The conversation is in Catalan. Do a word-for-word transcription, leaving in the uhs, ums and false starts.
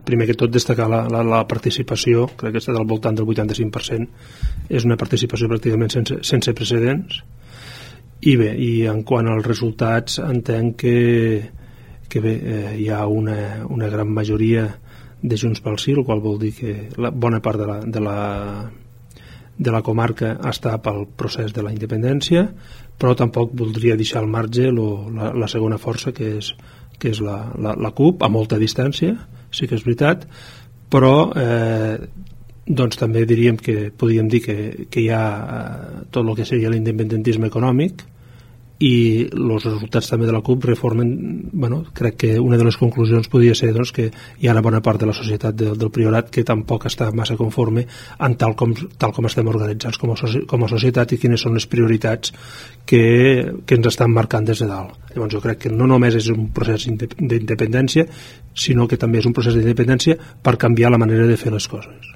primer que tot destacar la, la, la participació, crec que està al voltant del vuitanta-cinc per cent, és una participació pràcticament sense, sense precedents. I bé, i en quant als resultats entenc que, que bé, eh, hi ha una, una gran majoria de Junts pel Sí, el qual vol dir que la bona part de la, de la, de la comarca està pel procés de la independència, però tampoc voldria deixar al marge lo, la, la segona força, que és, que és la, la, la CUP, a molta distància, sí que és veritat, però eh, doncs també diríem que podríem dir que, que hi ha eh, tot el que seria l'independentisme econòmic, i els resultats també de la CUP reformen, bueno, crec que una de les conclusions podria ser doncs, que hi ha una bona part de la societat de, del Priorat que tampoc està massa conforme en tal com, tal com estem organitzats com a, com a societat i quines són les prioritats que, que ens estan marcant des de dalt. Llavors jo crec que no només és un procés d'independència, sinó que també és un procés d'independència per canviar la manera de fer les coses.